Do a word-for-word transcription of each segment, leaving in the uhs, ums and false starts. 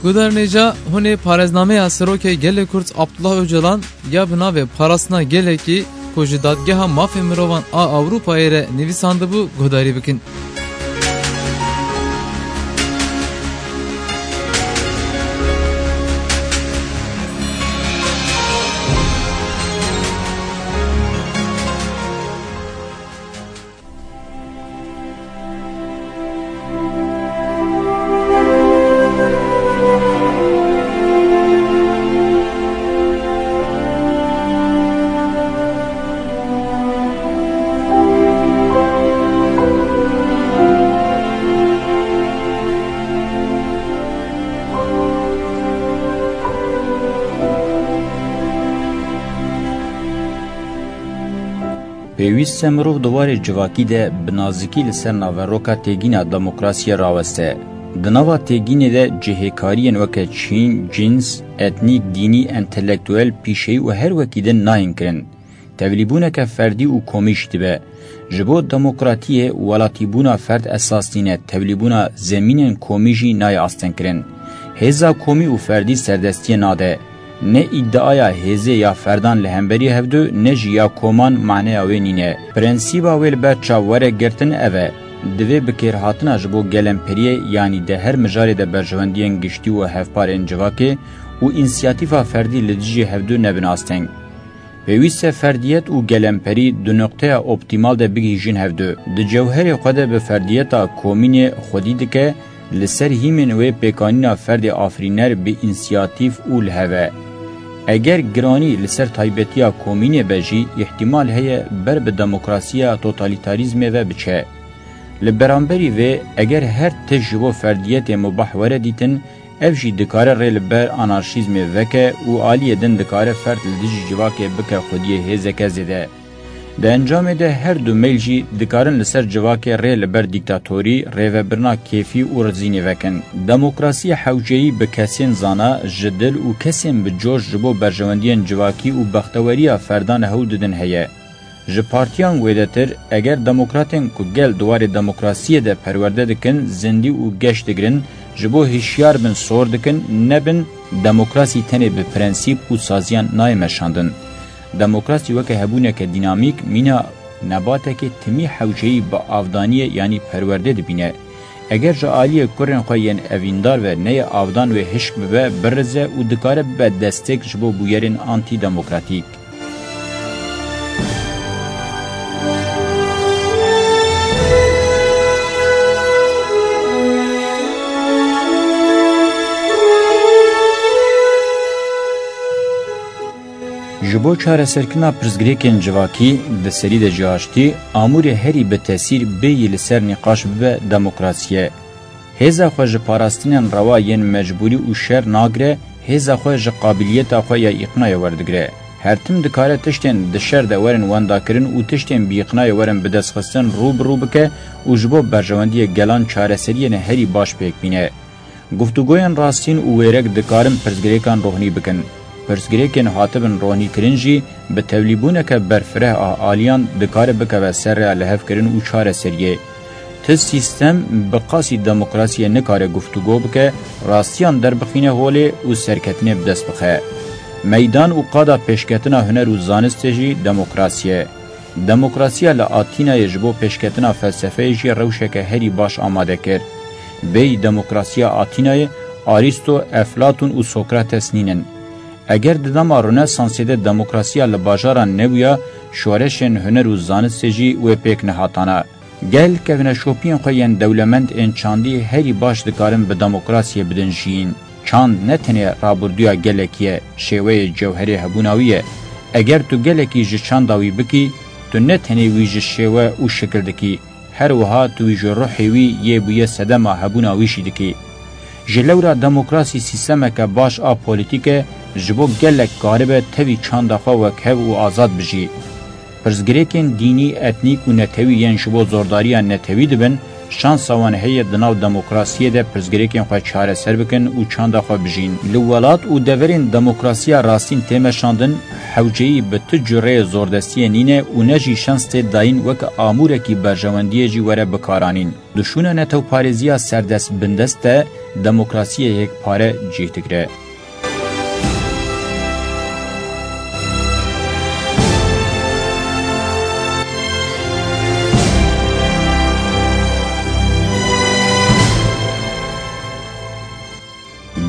Guhdarên hêja, hûn ê parêznameya Serokê Gelê Kurd Abdullah Ocalan ya bi navê Parastina Gelekî ku ji Dadgeha Mafê Mirovan a Ewropayê re nivîsandibû guhdarî bikin. Pêwîst e mirov di warê civakî de bi nazikî li ser naveroka têgîna demokrasiyê raweste. Di nava têgînê de cihêkariyên weke çîn, cins, etnîk, dînî, entelektuel, pîşeyî û her wekî din nayên kirin. Tevlîbûneke ferdî û komî jî dibe. Ji bo demokratiyê, welatîbûna ferd esas nîne, tevlîbûna zemînên komî jî nayê astengkirin. Hêza komî û ferdî serdestiyê nade. Ne îdiaya hêzê ya ferdan li hemberî hevdu, ne jî ya koman maneya wê nîne. Prensîba wê li ber çav were girtin ev e. Divê bi kêrhatina ji bo gelemperiyê, yanî di her mijarê de berjewendiyên giştî û hevpar ên civakê û însiyatîfa ferdî li dijî hevdu nebin asteng. Pêwîst e ferdiyet û gelemperî di noqteya optîmal de bigihîjin hevdu. Di cewherê xwe de bi ferdiyeta komînê xwedî dike, li ser hîmên wê pêkanîna ferdê afirîner bi însiyatîf û li hev e. Eger giranî li ser taybetiya komînê be jî, îhtîmal heye ber bi demokrasiya totalîtarîzmê ve biçe. Li beramberî vê, eger her tişt ji bo ferdiyetê mubah were dîtin, ev jî dikare rê li ber anarşîzmê veke û aliyê din dikare ferd li dijî civakê bike xwediyê hêzeke zêde. Di encamê de her du meyl jî dikarin li ser civakê rê li ber dîktatorî, rêvebirina kêfî û rizînê vekin. Demokrasiyê hewceyî bi kesên zana, ji dil û kesên bi coş ji bo berjewendiyên civakî û bexteweriya ferdan hewl didin heye. Ji partiyan wêdetir, eger demokratên ku gel di warê demokrasiyê de perwerde dikin, zindî û geş digirin, ji bo hişyar bin sor dikin, nebin, demokrasî tenê bi prensîp û saziyan nayê meşandin. Demokrasî weke hebûneke dînamîk, mîna nebatekê timî hewceyî bi avdaniyê yanî perwerdê dibîne. Eger ji aliyê kurên xwe yên evîndar ve neyê avdan wê hişk bibe, birize û dikare bibe destek ji bo bûyerên antîdemokratîk. Ji bo çareserkirina pirsgirêkên civakî, di serî de jî aştî, amûrê herî bi tesîr bêyî li ser nîqaş bibe demokrasî ye. Hêza xwe ji parastinên rewa yên mecbûrî û şer nagire, hêza xwe ji qabiliyeta xwe ya îqnayê werdigire. Her tim dikare tiştên di şer de werin wendakirin û tiştên bi îqnayê werin bidestxistin rû bi rû bike û ji bo berjewendiyê gelan çareseriyên herî baş pêk bîne. Guftûgoyên rastîn û wêrek dikarin pirsgirêkan rohnî bikin. Pirsgirêkên hatibin rohnîkirin jî bi tevlîbûneke berfireh a aliyan dikare bikeve ser rêya lihevkirin û çareseriyê. Ti sîstem bi qasî demokrasiyê nikare guftûgo bike, rastiyan derbixîne holê û serketinê bi dest bixe. Meydan û qada pêşketina huner û zanistê jî demokrasî ye. Demokrasiya li Atînayê ji bo pêşketina felsefeyê jî rewşeke herî baş amade kir. Bêyî demokrasiya Atînayê, Arîsto, Eflatûn û Sokrates nînin. Eger di dema Rönesansê de demokrasiya li bajaran nebûya, şoreşên huner û zanistê jî wê pêk nehatana. Gel kevneşopiyên xwe yên dewlemend ên çandî herî baş dikarin bi demokrasiyê bidin jiyîn. Çand ne tenê rabirdûya gelekî ye, şêweyê cewherê hebûna wî ye. Eger tu gelekî ji çanda wî bikî, tu ne tenê wî ji şêwe û şikil dikî, her wiha tu wî ji ruhê wî yê bûye sedema hebûna wî jî dikî. Ji lewra demokrasî sîstemeke baş a polîtîk e, ji bo gelek karibe tevî çanda xwe wekhev û azad bijî. Pirsgirêkên dînî, etnîk û netewî yên ji bo zordariya netewî dibin, şansa wan heye di nav demokrasiyê de pirsgirêkên xwe çareser bikin û çanda xwe bijîn. Li welat û deverên demokrasiya rastîn tê meşandin, hewceyî bi tu cureyê zordestiyê nîne û ne jî şans tê dayîn weke amûrekî berjewendiyê jî were bikaranîn. Di şûna netewparêziya serdest bindest de, demokrasiyê yekpare cih digire.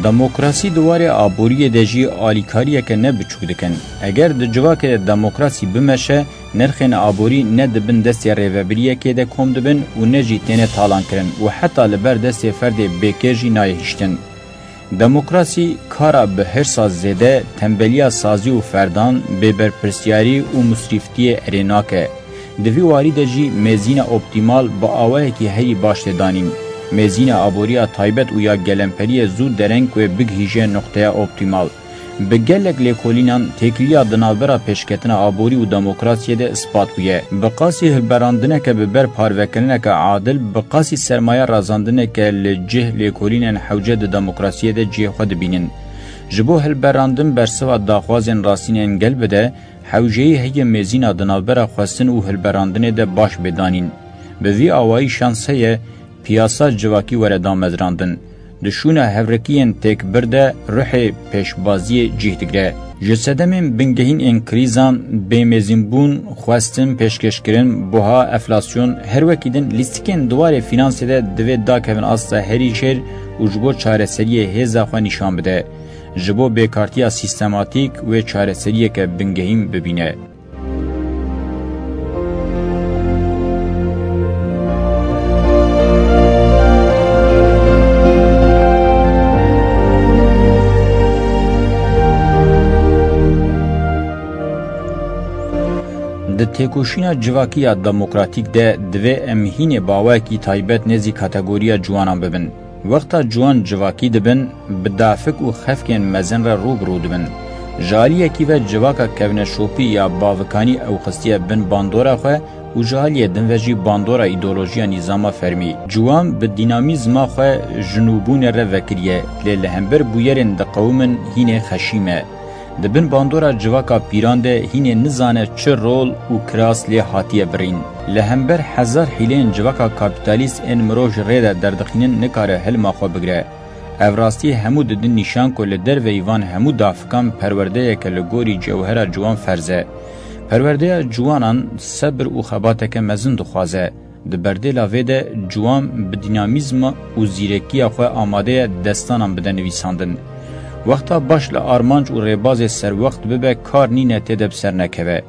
Demokrasî di warê aboriyê de jî alîkariyeke ne biçûk dikin. Eger di civakê de demokrasî bimeşe, nirxên aborî ne di bin destê rêvebiriyekê de kom dibin û ne jî têne talankirin û heta li ber destê ferdê bêkêr jî nayê hiştin. Demokrasî kara bi hirsa zêde, tembeliya sazî û ferdan, bêberpirsyarî û misrîftiyê erê nake. Di vî warî de jî mêzîna optîmal bi awayekî herî baş tê danîn. Mêzîna aboriya taybet û ya gelemperiyê zû dereng wê bigihîje nuqteya optîmal. Bi gelek lêkolînan têkiliya di navbera pêşketina aborî û demokrasiyê de ispat bûye. Bi qasî hilberandineke bi ber parvekirineke adil, bi qasî sermaye razandineke li cih lêkolînên hewce di demokrasiyê de cihê xwe dibînin. Ji bo hilberandin bersiva daxwazên rastîn ên gel bide, hewceyî heye mêzîna di navbera xwestin û hilberandinê de baş bê danîn. Bi vî awayî şans heye piyasa civakî were damezrandin. Di şûna hevrekiyên têkbir de ruhê pêşbaziyê cih digire. Ji sedemên bingehîn ên krîzan, bêmêzînbûn, xwestin, pêşkêşkirin, buha, enflasyon, her wekî din lîstikên di warê fînansê de divê dakevin asta herî jêr û ji bo çareseriyê hêza xwe nîşan bide. Ji bo bêkartiya sîstematîk wê çareseriyeke bingehîn bibîne. Di têkoşîna civakî ya demokratîk de divê em hînê bi awayekî taybet nêzî kategoriya ciwanan bibin. Wexta ciwan civakî dibin, bi dafik û xefkên mezin re rû bi rû dibin. Ji aliyekî ve civaka kevneşopî ya bavikanî ew xistiye bin bandora xwe û ji aliyê din ve jî bandora îdeolojiya nîzama fermî. Ciwan bi dînamîzma xwe ji nûbûnê re vekiriye, lê li hember bûyerên diqewimin hînê xeşîm e. Di bin bandora civaka pîran de hînê nizane çi rol û kiras lê hatiye birîn. Li hember hezar hîleyên civaka kapîtalîst ên mirov ji rê de derdixînin nikare hilma xwe bigire. Ev rastî hemû didin nîşan ku li derveyî van hemû dafikan perwerdeyeke li gorî cewhera ciwan ferz e. Perwerdeya ciwanan sebir û xebateke mezin dixwaze. Di berdêla vê de ciwan bi dînamîzma û zîrekiya xwe amade ye destanan bide nivîsandin. Wexta baş li armanc û rêbazê serwext bibe kar nîne tê de bi ser nekeve.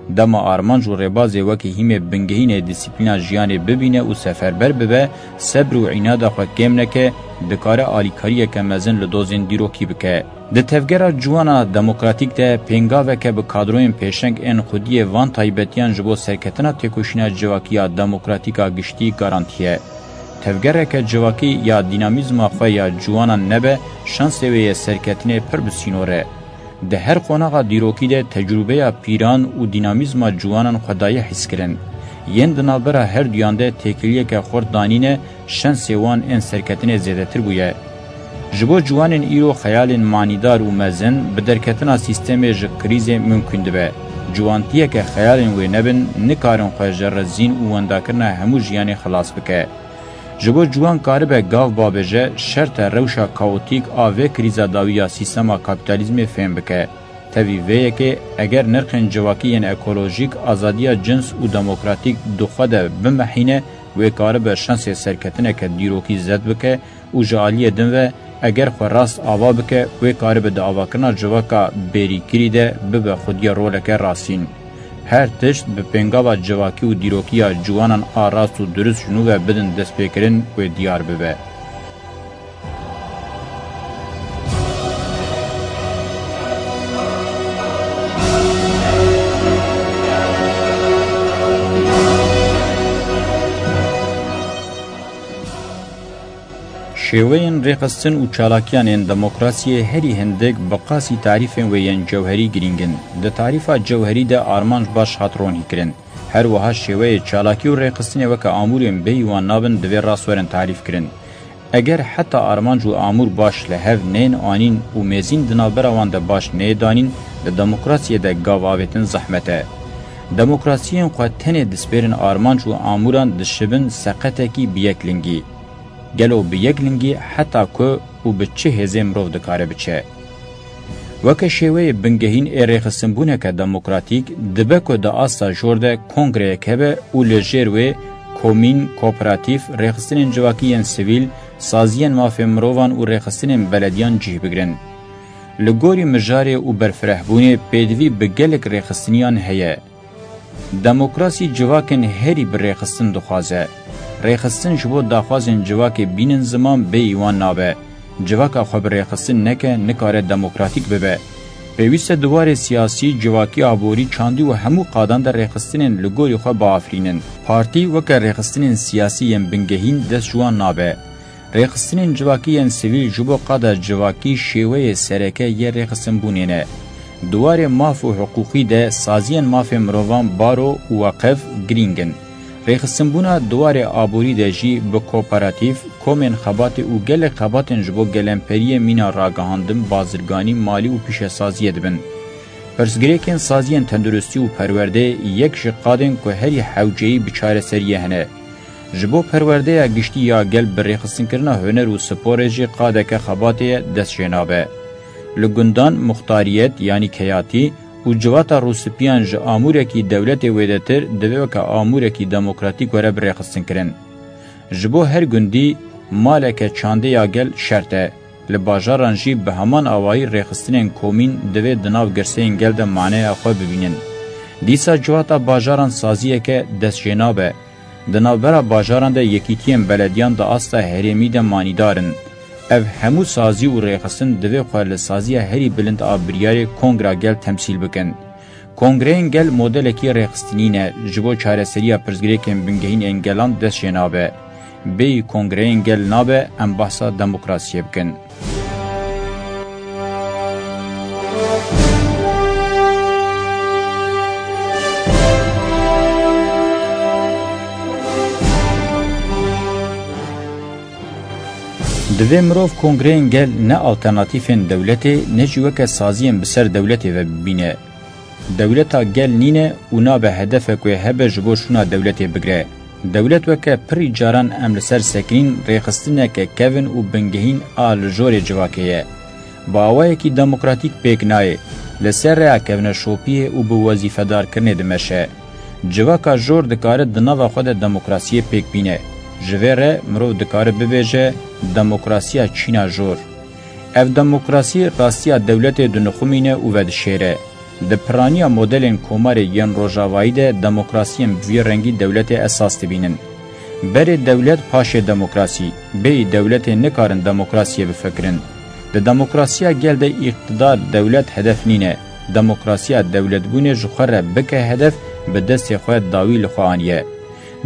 Dema armanc û rêbazê wekî hîmê bingehînê dîsîplîna jiyanê bibîne û seferber bibe, sebr û înada xwe kêm neke, dikare alîkariyeke mezin li dozên dîrokî bike. Di tevgera ciwana demokratîk de pêngaveke bi kadroyên pêşeng ên xwediyê van taybetiyan ji bo serketina têkoşîna civakî ya demokratîk a giştî garantî ye. Tevgereke civakî ya dînamîzma xwe ya ciwanan nebe, şansê wê yê serketinê pir bi sînor e. Di her qonaxa dîrokî de tecrûbeya pîran û dînamîzma ciwanan xwe daye hîskirin. Yên di navbera her duyan de têkiliyeke xurt danîne, şansê wan ên serketinê zêdetir bûye. Ji bo ciwanên îro xeyalên manîdar û mezin bi derketina sîstemê ji krîzê mimkûn dibe. Ciwantiyeke xeyalên wê nebin, nikarin xwe ji rizîn û wendakirina hemû jiyanê xilas bike. Ji bo ciwan karibe gav babêje, şert e rewşa kaotîk a vê krîza dawî ya sîstema kapîtalîzmê fêm bike. Tevî vê yekê, eger nirxên civakî yên ekolojîk, azadiya cins û demokratîk di xwe de bimehîne, wê karibe şansê serketineke dîrokî zed bike û ji aliyê din ve, eger xwe rast ava bike, wê karibe di avakirina civaka bêrîkirî de bibe xwediyê roleke rastîn. Her tişt bi pêngava civakî û dîrokiya ciwanan a rast û dirust ji nû ve bidin destpêkirin wê diyar bibe. Şêweyên rêxistin û çalakiyan ên demokrasiyê herî hindik bi qasî tarîfên wê yên cewherî girîng in. Di tarîfa cewherî de armanc baş hat ronîkirin. Her wiha şêweyê çalakî û rêxistinê weke amûrên bêyî wan nabin divê rast werin tarîfkirin. Eger heta armanc û amûr baş li hev nên anîn û mêzîn di navbera wan de baş neyê danîn, di demokrasiyê de gav avêtin zehmet e. Demokrasiyên xwe tenê dispêrin armanc û amûran dişibin seqetekî bi yek lingî. Gelo bi yeklingî heta ku û bi çi hêzê mirov dikare biçe? Weke şêweyê bingehîn ê rêxistinbûneke demokratîk, dibe ku di asta jor de kongreyek hebe û li jêr wê komîn, kooperatîf, rêxistinên civakî yên sivîl, saziyên mafê mirovan û rêxistinên belediyan cih bigrin. Li gorî mijarê û berfirehbûnê pêdivî bi gelek rêxistiniyan heye. Demokrasî civakên herî bi rêxistin dixwaze. Rêxistin ji bo daxwazên civakê bînin ziman bêyî wan nabe. Civaka xwe bi rêxistin neke, nikare demokratîk bibe. Pêwîst e di warê siyasî, civakî, aborî, çandî û hemû qadan de rêxistinên li gorî xwe biafirînin. Partî weke rêxistinên siyasî yên bingehîn dest ji wan nabe. Rêxistinên civakî yên sivîl ji bo qada civakî şêweyê sereke yê rêxistinbûnê ne. Di warê maf û hiqûqî de saziyên mafê mirovan, baro û weqef girîng in. Rêxistinbûna di warê aborî de jî bi kooperatîf, komên xebatê û gelek xebatên ji bo gelemperiyê mîna ragihandin, bazirganî, malî û pîşesaziyê dibin. Pirsgirêkên saziyên tenduristî û perwerdeyê yek ji qadên ku herî hewceyî bi çareseriyê hene. Ji bo perwerdeya giştî ya gel bi rêxistinkirina huner û sporê jî qadeke xebatê ye dest jê nabe. Li gundan muxtariyet, yanî keyatî û civata rûspiyan ji amûrekî dewletê wêdetir divê weke amûrekî demokratîk were bi rêxistinkirin. Ji bo her gundî maleke çandê ya gel şert e. Li bajaran jî bi heman awayî rêxistinên komîn divê di nav girseyên gel de maneya xwe bibînin. Dîsa civata bajaran saziyeke dest jê nabe. Di navbera bajaran de yekîtiyên belediyan di asta herêmî de manîdar in. Ev hemû sazî û rêxistin divê xwe li saziya herî bilind a biryarê Kongra Gel temsîl bikin. Kongreyên Gel modelekî rêxistinî ne, ji bo çareseriya pirsgirêkên bingehîn ên gelan dest jê nabe. Bêyî kongreyên gel nabe em behsa demokrasiyê bikin. Divê mirov kongreyên gel ne alternatîfên dewletê, ne jî weke saziyên bi ser dewletê ve bibîne. Dewleta gel nîne û nabe hedefek wê hebe ji bo şûna dewletê bigre. Dewlet weke pirî caran em li ser sekinîn rêxistineke kevin û bingehîn a li jorê civakê ye. Bi awayekî demokratîk pêk nayê, li ser rêya kevneşopiyê û bi wezîfedarkirinê dimeşe. Civaka jor dikare di nava xwe de demokrasiyê pêk bîne. Ji vê re mirov dikare bibêje demokrasiya çîna jor. Ev demokrasî rastiya dewletê dinixumîne û vedişêre. Di piraniya modelên komarê yên rojavayî de demokrasiyên bi vî rengî dewletê esas dibînin. Berê dewlet, paşê demokrasî. Bêyî dewletê nikarin demokrasiyê bifikirin. Di demokrasiya gel de îqtidar, dewlet hedef nîne. Demokrasiya dewletbûnê ji xwe re bike hedef, bi destê xwe dawî li xwe aniye.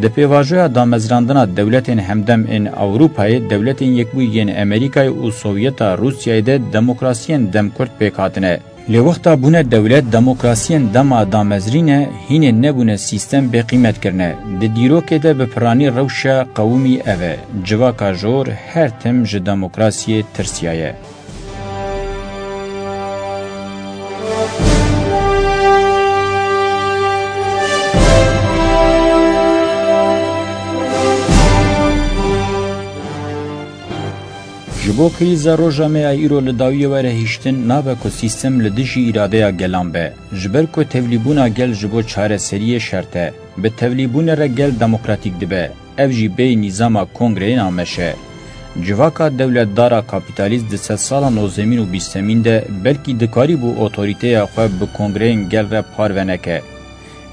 Di pêvajoya damezrandina dewletên hemdem ên Ewropayê, Dewletên Yekbûyî yên Amerîkayê û Sovyeta Rûsyayê de demokrasiyên demkurt pêk hatine. Lê wexta bûne dewlet, demokrasiyên dema damezrîne hînê nebûne sîstem bê qîmet kirine. Di dîrokê de bi piranî rewşa qewimî ev e. Civaka jor her tim ji demokrasiyê tirsiyaye. Ji bo krîza roja me ya îro li dawiyê were hiştin, nabe ku sîstem li dijî îradeya gelan be. Ji ber ku tevlîbûna gel ji bo çareseriyê şert e. Bi tevlîbûnê re gel demokratîk dibe. Ev jî bêyî nîzama kongreyê nameş e. Civaka dewletdara kapîtalîst di sedsala nozdemîn û bîstemîn de belkî dikarîbû otorîteya xwe bi kongreyên gel re parve neke.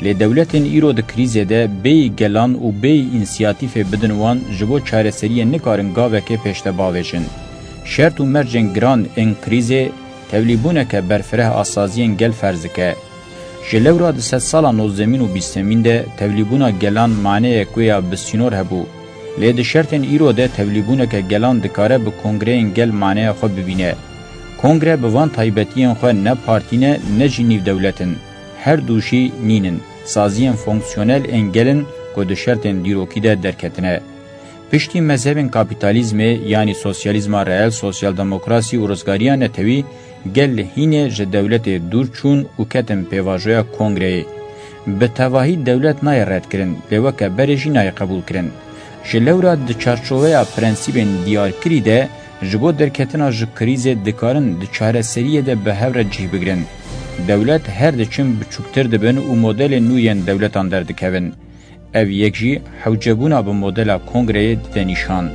Lê dewletên îro di krîzê de bêyî gelan û bêyî însiyatîfê bidin wan, ji bo çareseriyê nikarin gavekê pêş de bavêjin. Şert û mercên giran ên krîzê tevlîbûneke berfireh a saziyên gel ferz dike. Ji lewra di sedsala nozdemîn û bîstemîn de tevlîbûna gelan maneyek wê ya bi sînor hebû. Lê di şertên îro de tevlîbûneke gelan dikare bi kongreyên gel maneya xwe bibîne. Kongre bi van taybetiyên xwe ne partî ne, ne jî nîvdewlet in. Her du jî nîn in. Saziyên fonksiyonel ên gel in ku di şertên dîrokî de derketine. Piştî mezhebên kapîtalîzmê, yanî sosyalîzma reel, sosyaldemokrasî û rizgariya netewî, gel hînê ji dewletê dûr çûn û ketin pêvajoya kongreyê. Bi tevahî dewlet nayê redkirin, lê weke berê jî nayê qebûlkirin. Ji lewra di çarçoveya prensîbên diyarkirî de ji bo derketina ji krîzê dikarin di çareseriyê de bi hev re cih bigirin. Dewlet her diçin biçûktir dibin û modelên nû yên dewletan derdikevin. Ev yek jî hewcebûna bi modela kongreyê dide nîşan.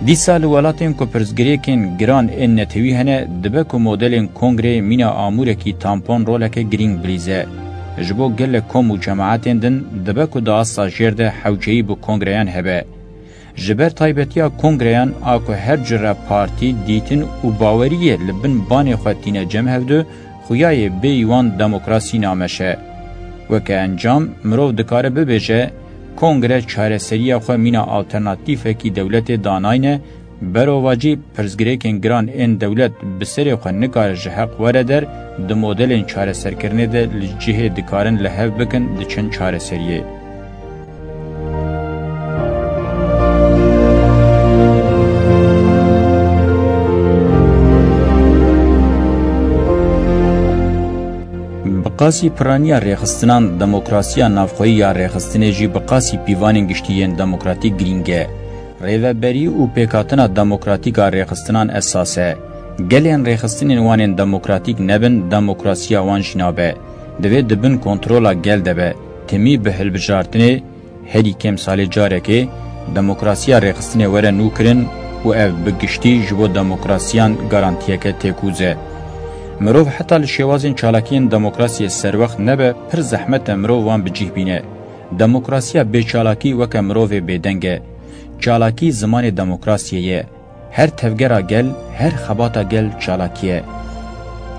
Dîsa li welatên ku pirsgirêkên giran ên netewî hene, dibe ku modelên kongreyê mîna amûrekî tampon roleke girîng bilîze. Ji bo gelek kom û cemaetên din dibe ku di asta jêr de hewceyî bi kongreyan hebe. Ji ber taybetiya kongreyan a ku her cure partî, dîtin û baweriyê li bin banê xwe tîne cem hevdu, xuyayê bêyî wan demokrasî nameşe. Weke encam, mirov dikare bibêje, kongre çareseriya xwe mîna alternatîfekî dewletê danayne, berovajî pirsgirêkên giran ên dewlet bi serê xwe nikare ji heq were der, di modelên çareserkirinê de li cihê dikarin li hev bikin diçin çareseriyê. Bi qasî piraniya rêxistinan, demokrasiya navxweyî ya rêxistinê jî bi qasî pîvanên giştî yên demokratîk girîng e. Rêveberî û pêkhatina demokratîk a rêxistinan esas e. Gelên rêxistinên wan ên demokratîk nebin, demokrasiya wan jî nabe. Divê di bin kontrola gel de be. Timî bi hilbijartinê, herî kêm salê carekê, demokrasiya rêxistinê were nûkirin û ev bi giştî ji bo demokrasiyan garantiyeke têkûz e. Mirov heta li şêwazên çalakiyên demokrasiyê serwext nebe, pir zehmet e mirov wan bi cih bîne. Demokrasiya bê çalakî weke mirovê bêdeng e. Çalakî zimanê demokrasiyê ye. Her tevgera gel, her xebata gel çalakî ye.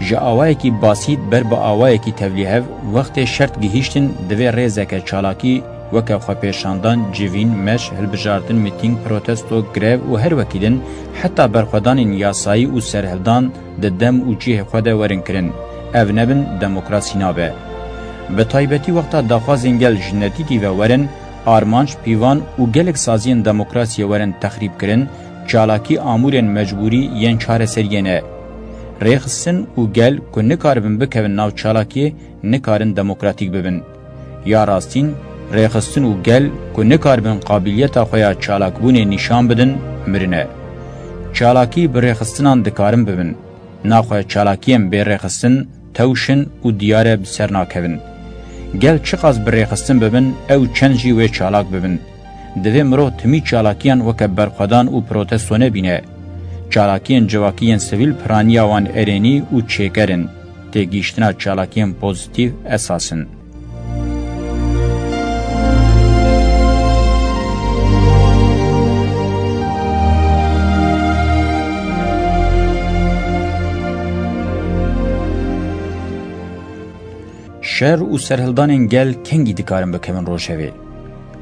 Ji awayekî basît ber bi awayekî tevlîhev, wextê şert gihîştin, divê rêzeke çalakî weke xwepêşandan, civîn, meş, hilbijartin, mîtîng, protesto, grev û her wekî din, heta berxwedanên yasayî û serhildan di dem û cihê xwe de werin kirin. Ev nebin, demokrasî nabe. Bi taybetî wexta daxwazên gel ji nedîtî ve werin, armanc, pîvan û gelek saziyên demokrasiyê werin texrîb kirin, çalakî amûrên mecbûrî yên çareseriyê ne. Rêxistin û gel ku nikaribin bikevin nav çalakiyê, nikarin demokratîk bibin. Ya rastîn, rêxistin û gel ku nikaribin qabiliyeta xwe ya çalakbûnê nîşan bidin, mirin e. Çalakî bi rêxistinan dikarin bibin. Naxwe çalakiyên bê rêxistin tewş in û diyar e bi ser nakevin. Gel çiqas bi rêxistin bibin, ew çend jî wê çalak bibin. Divê mirov timî çalakiyan weke berxwedan û protesto nebîne. Çalakiyên civakî yên sivîl piraniya wan erênî û çêker in. Têgihiştina çalakiyên pozîtîf esas in. Şer û serhildanên gel kengî dikarin bikevin rojevê?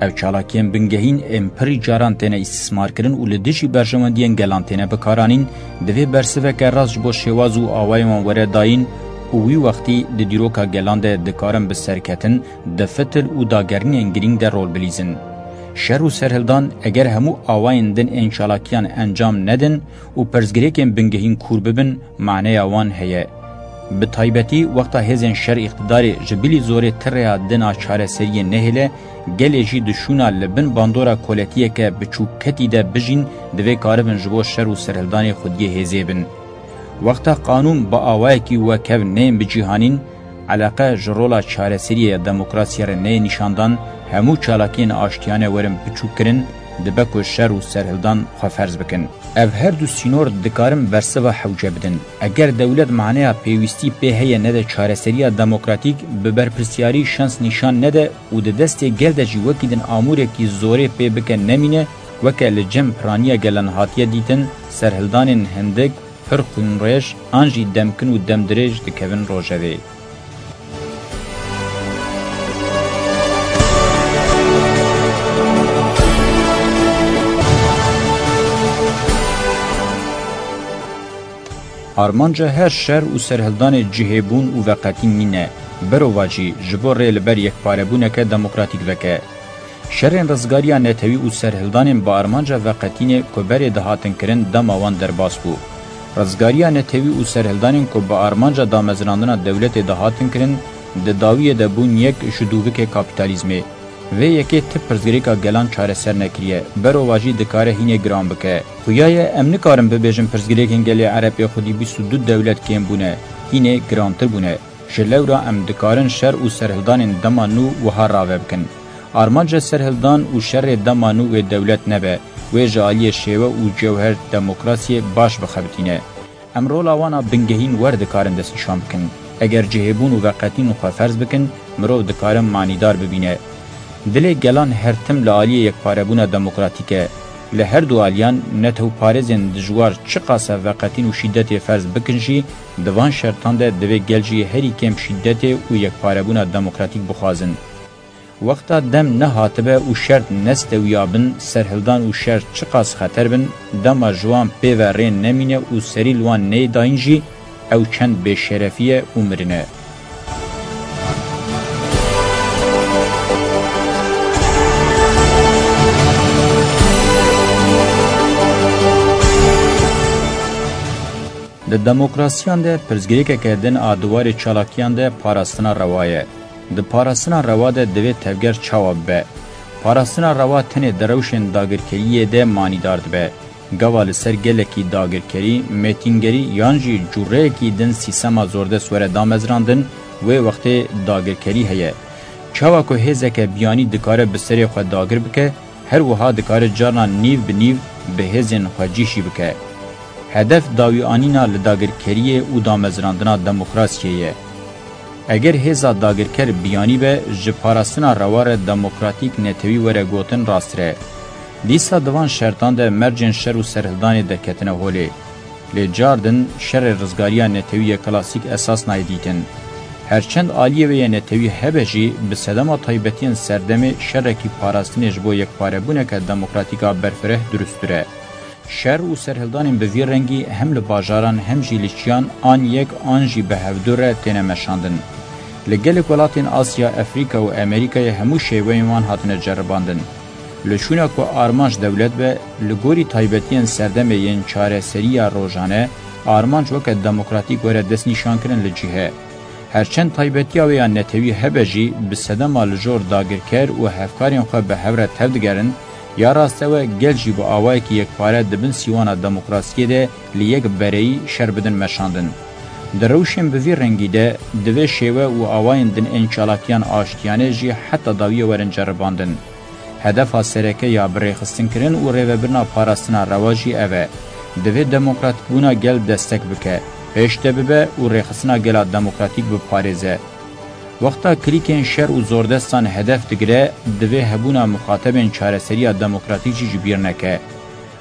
Ev çalakiyên bingehîn ên pirî caran têne îstîsmarkirin û li dijî berjewendiyên gelan têne bikaranîn, divê bersiveke rast ji bo şêwaz û awayên wan were dayîn û wî wextî di dîroka gelan de dikarin bi serketin, di fitil û dagerînên girîng de rol bilîzin. Şer û serhildan, eger hemû awayên din ên çalakiyan encam nedin û pirsgirêkên bingehîn kûr bibin, maneya wan heye. Bi taybetî wexta hêzên şer îqtidarê ji bilî zorê ti rêya din a çareseriyê nehêle, gelê jî di şûna li bin bandora koletiyeke biçûkketî de bijîn, divê karibin ji bo şer û serhildanê xwediyê hêzê bin. Wexta qanûn bi awayekî wekev neyên bicîhanîn, eleqe ji rola çareseriyê ya demokrasiyê re neyê nîşandan, hemû çalakiyên aştiyane werin biçûkkirin, dibe ku şer û serhildan xweferz bikin. Ev her du sînor dikarin bersiva hewce bidin. Eger dewlet maneya pêwîstî pê heye nede çareseriya demokratîk, bi berpirsyarî şans nîşan nede û di destê gel de jî wekî din amûrekî zorê pê bike nemîne, weke li cem piraniya gelan hatiye dîtin, serhildanên hindik, pir xwînrêj an jî demkin û demdirêj dikevin rojevê. Armanca her şer û serhildanê cihêbûn û veqetîn nîne, berovajî ji bo rê li ber yekparebûneke demokratîk veke. Şerên rizgariya netewî û serhildanên bi armanca veqetînê ku berê dihatin kirin dema wan derbas bû. Rizgariya netewî û serhildanên ku bi armanca damezrandina dewletê dihatin kirin, di dawiyê de bûn yek ji dûvikê kapîtalîzmê. Vê yekê ti pirsgirêka gelan çareser nekiriye, berovajî dikare hînê giran bike. Xuya ye em nikarin bibêjin pirsgirêkên gelê Ereb ê xwedî bîst û du dewlet kêm bûne, hînê girantir bûne. Ji lewra em dikarin şer û serhildanên dema nû wiha rave bikin. Armanca serhildan û şerê dema nû wê dewlet nebe, wê ji aliyê şêwe û cewher demokrasiyê baş bixebitîne. Em rola wan a bingehîn wer dikarin destnîşan bikin. Eger cihêbûn û veqetîn xwe ferz bikin, mirov dikare manîdar bibîne. Dilê gelan her tim li aliyê yekparebûna demokratîk e. Li her du aliyan netewparêzên dijwar çiqas e veqetîn û şîdetê ferz bikin jî, di van şertan de divê gel jî herî kêm şîdetê û yekparebûna demokratîk bixwazin. Wexta dem nehatibe û şert nestewiyabin, serhildan û şer çiqas xeter bin, dema ji wan pê ve rê nemîne û serî li wan neyê dayîn jî, ew çend bêşerefî ye û mirin e. Di demokrasiyan de pirsgirêkeke din a di warê çalakiyan de parastina rewa ye. Di parastina rewa de divê tevger çawa bibe? Parastina rewa tenê di rewşên dagirkeriyê de manîdar dibe. Gava li ser gelekî dagirkerî, mêtîngerî yan jî cûreyekî din sîstema zordest were damezrandin, wê wextê dagirkerî heye. Çawa ku hêzeke biyanî dikare bi serê xwe dagir bike, her wiha dikare carna nîv bi nîv bi hêzên xwe cî jî bike. Hedef dawîanîna li dagirkeriyê û damezrandina demokrasiyê ye. Eger hêza dagirker biyanî be, ji parastina rewa re demokratîk netewî were gotin rastir e. Dîsa di van şertan de mercên şer û serhildanê derketine holê. Lê car din şerê rizgariya netewî yê klasîk esas nayê dîtin. Her çend aliyê wê yê netewî hebe jî, bi sedema taybetiyên serdemê şerekî parastinê ji bo yekparebûneke demokratîk a berfireh durustir e. Şer û serhildanên bi vî rengî hem li bajaran hem jî li çiyan an yek an jî bi hevdu re têne meşandin. Li gelek welatên Asya, Efrîka û Amerîkayê hemû şêweyên wan hatine ceribandin. Li şûna ku armanc dewlet be, li gorî taybetiyên serdemê yên çareseriya rojane, armanc weke demokratîk were destnîşankirin li cih e. Her çend taybetiya wê ya netewî hebe jî, bi sedema li jor dagirker û hevkarên xwe bi hev re tevdigerin, ya rastewe gel jî bi awayekî yekpare di bin sîwana demokrasiyê de li yek bereyî şer bidin meşandin. Di rewşên bi vî rengî de, divê şêwe û awayên din ên çalakiyan aştiyane jî heta dawiyê werin ceribandin. Hedefa sereke ya birêxistinkirin û rêvebirina parastina rewa jî ev e. Divê demokratîkbûna gel destek bike, pêş de bibe û rêxistina gela demokratîk biparêze. Wexta klîkên şer û zordestan hedef digire, divê hebûna muxatebên çareseriya demokratîk jî ji bîr neke.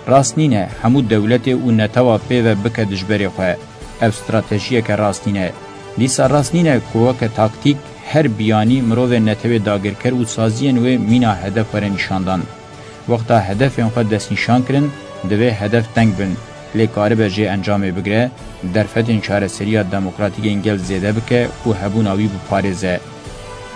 Rast nîne hemû dewletê û netewa pê ve bike dijberê xwe. Ev stratejiyeke rast nîne. Dîsa rast nîne ku weke taktîk her biyanî mirovên netewê dagirker û saziyên wê mîna hedef were nîşandan. Wexta hedefên xwe destnîşan kirin, divê hedef teng bin, lê karibe jê encamê bigire, derfetên çareseriya demokratîk ên gel zêde bike û hebûna wî biparêze.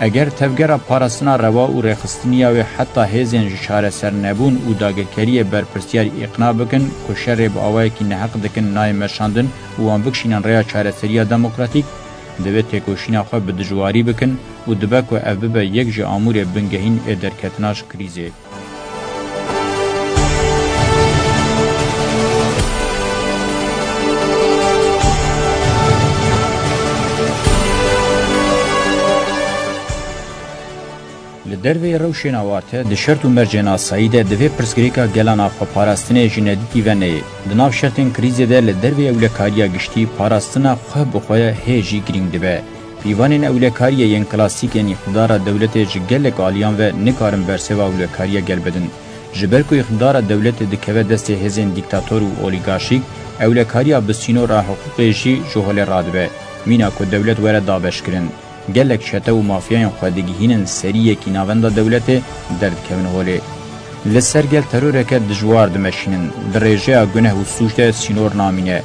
Eger tevgera parastina rewa û rêxistiniya wê heta hêzên ji çaresernebûn û dagirkeriyê berpirsiyar îqna bikin ku şerê bi awayekî neheq dikin nayê meşandin û wan bikişînin rêya çareseriya demokratîk, divê têkoşîna xwe bi dijwarî bikin û dibe ku ev bibe yek ji amûrê bingehîn ê derketina ji krîzê. Li derveyî rewşên awarte, di şert û mercên asayî de divê pirsgirêka gelan a xweparastinê ji nedîtî ve neyê. Di nav şertên krîzê de li derveyî ewlekariya giştî, parastina xwe bi xwe hê jî girîng dibe. Pîvanên ewlekariyê yên klasîk ên îqtidara dewletê ji gelek aliyan ve nikarin berseva ewlekariya gel bidin. Ji ber ku îqtidara dewletê dikeve destê hêzên dîktator û olîgarşîk, ewlekariya bi sînora hiqûqê jî ji holê radibe, mîna ku dewlet were dabeşkirin. Gelek çete û mafyayên xwe digihînin serî yekî navenda dewletê, derdikevin holê. Li ser gel teroreke dijwar dimeşînin, di rêjeya guneh û sûc de sînor namîne.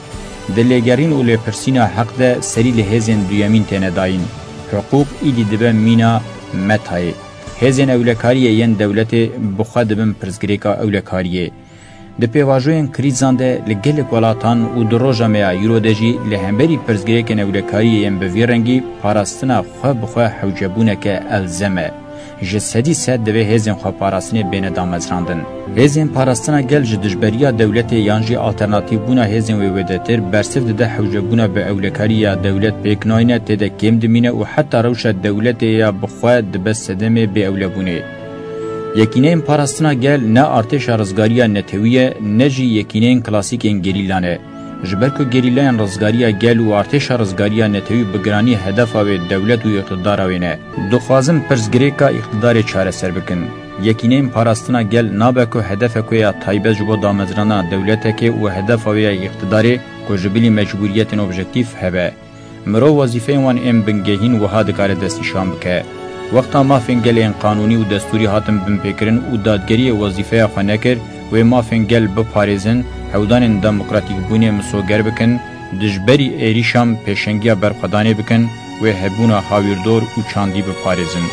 Di lêgerîn û lêpirsîna heq de serî li hêzên duyemîn têne dayîn. Hiqûq îdî dibe mîna metayê. Hêzên ewlekariyê yên dewletê bi xwe dibin pirsgirêka ewlekariyê. Di pêvajoyên krîzan de li gelek welatan û di roja me ya îro de jî li hemberî pirsgirêkên ewlekariyê yên bi vî rengî parastina xwe bi xwe hewcebûneke elzem e. Ji sedî sed divê hêzên xweparastinê bêne damezrandin. Hêzên parastina gel ji dijberiya dewletê yan jî alternatîfbûna hêzên wê wêdetir bersiv dide hewcebûna bi ewlekarî ya dewlet pêk nayne, tê de kêm dimîne û heta rewşa dewletê ya bi xwe dibe sedemê bêewlebûnê. Yekîneyên Parastina Gel ne artêşa rizgariya netewî ye, ne jî yekîneyên klasîkên gerîla ne. Ji ber ku gerîlayên rizgariya gel û artêşa rizgariya netewî bi giranî hedefa wê dewlet û îqtidara wê ne. Dixwazim pirsgirêka îqtidarê çareser bikin. Yekîneyên Parastina Gel nabe ku hedefek wê ya taybet ji bo damezrana dewletekê û hedefa wê ya îqtidarê ku ji bilî mecbûriyetên objektîf hebe. Mirov wezîfeyên wan ên bingehîn wiha dikare destnîşan bike. Wexta mafên gelê yên qanûnî û destûrî hatin binpêkirin û dadgeriyê wezîfeya xwe nekir, wê mafên gel biparêzin, hewdanên demokratîkbûnê misoger bikin, dijberî êrîşan pêşengiya berxwedanê bikin, wê hebûna hawîrdor û çandî biparêzin.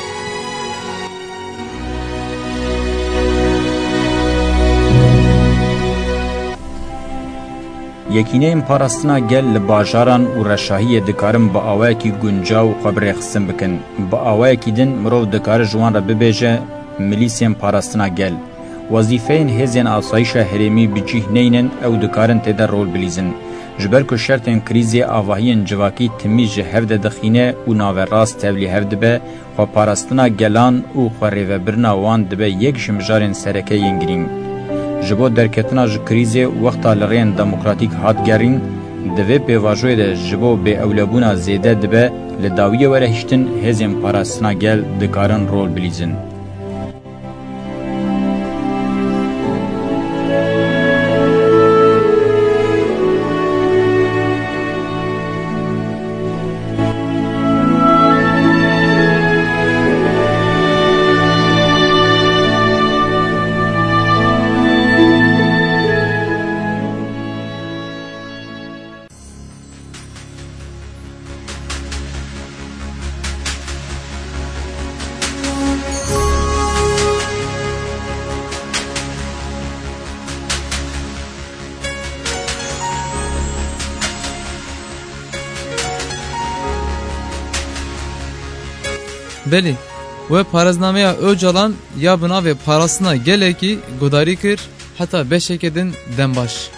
Yekîneyên Parastina Gel li bajaran û reşahiyê dikarin bi awayekî guncaw xwe bi rêxistin bikin. Bi awayekî din mirov dikare ji wan re bibêje, milîsên parastina gel. Wezîfeyên hêzên asayîşa herêmî bi cih neynin, ew dikarin tê de rol bilîzin. Ji ber ku şertên krîzê avahiyên civakî timî ji hev de dixîne û naverast tevlî hev dibe, xweparastina gelan û xwerêvebirina wan dibe yek ji mijarên sereke yên girîng. Ji bo derketina ji krîzê wexta li rêyên demokratîk hat gerîn, di vê pêvajoyê de ji bo bêewlebûna zêde dibe li dawiyê were hiştin, hêzên parastina gel dikarin rol bilîzin. Belê, we parêznameya Ocalan ya bi navê Parastina Gelekî guhdarî kir, heta beşeke din dem baş.